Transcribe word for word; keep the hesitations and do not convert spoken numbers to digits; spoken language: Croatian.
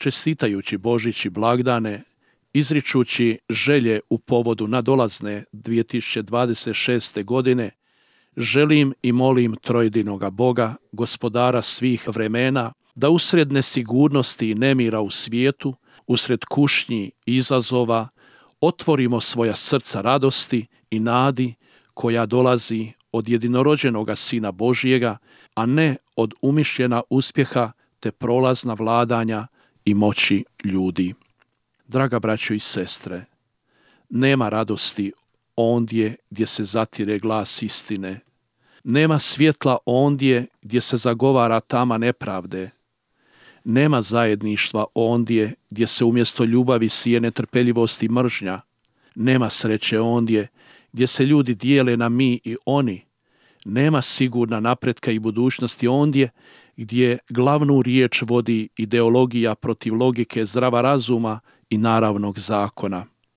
čestitajući Božić i blagdane, izričući želje u povodu nadolazne dvije tisuće dvadeset šeste. godine, želim i molim trojedinoga Boga, gospodara svih vremena, da usred nesigurnosti i nemira u svijetu, usred kušnji i izazova, otvorimo svoja srca radosti i nadi koja dolazi od jedinorođenoga Sina Božjega, a ne od umišljena uspjeha te prolazna vladanja i moći ljudi. Draga braćo i sestre, nema radosti ondje gdje se zatire glas istine. Nema svjetla ondje gdje se zagovara tama nepravde. Nema zajedništva ondje gdje se umjesto ljubavi sije netrpeljivost i mržnja. Nema sreće ondje gdje se ljudi dijele na mi i oni. Nema sigurna napretka i budućnosti ondje gdje glavnu riječ vodi ideologija protiv logike zdrava razuma i naravnog zakona.